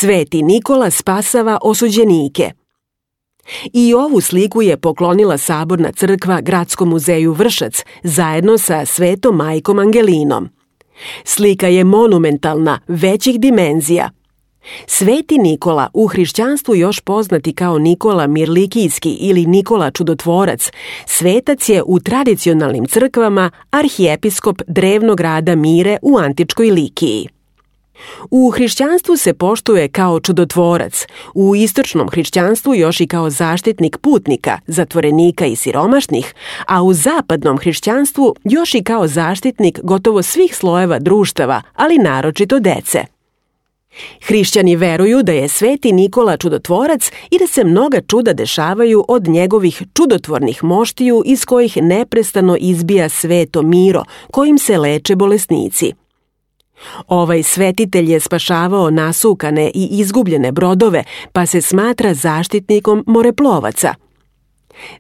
Sveti Nikola spasava osuđenike. I ovu sliku je poklonila Saborna crkva Gradskom muzeju Vršac zajedno sa Svetom majkom Angelinom. Slika je monumentalna, većih dimenzija. Sveti Nikola, u hrišćanstvu još poznati kao Nikola Mirlikijski ili Nikola Čudotvorac, svetac je u tradicionalnim crkvama arhijepiskop drevnog grada Mire u antičkoj Likiji. U hrišćanstvu se poštuje kao čudotvorac, u istočnom hrišćanstvu još i kao zaštitnik putnika, zatvorenika i siromašnih, a u zapadnom hrišćanstvu još i kao zaštitnik gotovo svih slojeva društava, ali naročito dece. Hrišćani veruju da je Sveti Nikola čudotvorac i da se mnoga čuda dešavaju od njegovih čudotvornih moštiju iz kojih neprestano izbija sveto miro, kojim se leče bolesnici. Ovaj svetitelj je spašavao nasukane i izgubljene brodove, pa se smatra zaštitnikom moreplovaca.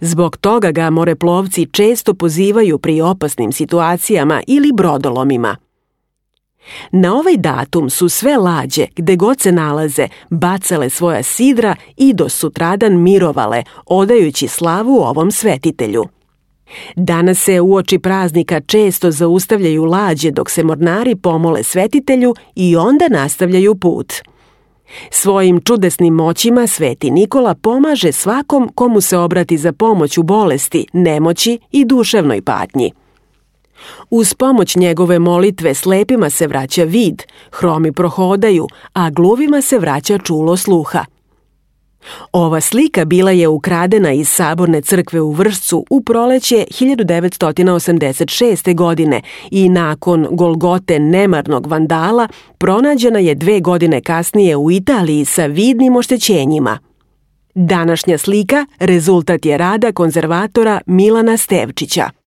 Zbog toga ga moreplovci često pozivaju pri opasnim situacijama ili brodolomima. Na ovaj datum su sve lađe, gde god se nalaze, bacale svoja sidra i do sutradan mirovale, odajući slavu ovom svetitelju. Danas se uoči praznika često zaustavljaju lađe dok se mornari pomole svetitelju i onda nastavljaju put. Svojim čudesnim moćima Sveti Nikola pomaže svakom komu se obrati za pomoć u bolesti, nemoći i duševnoj patnji. Uz pomoć njegove molitve slepima se vraća vid, hromi prohodaju, a gluvima se vraća čulo sluha. Ova slika bila je ukradena iz Saborne crkve u Vršcu u proleće 1986. godine i nakon Golgote nemarnog vandala pronađena je 2 godine kasnije u Italiji sa vidnim oštećenjima. Današnja slika rezultat je rada konzervatora Milana Stevčića.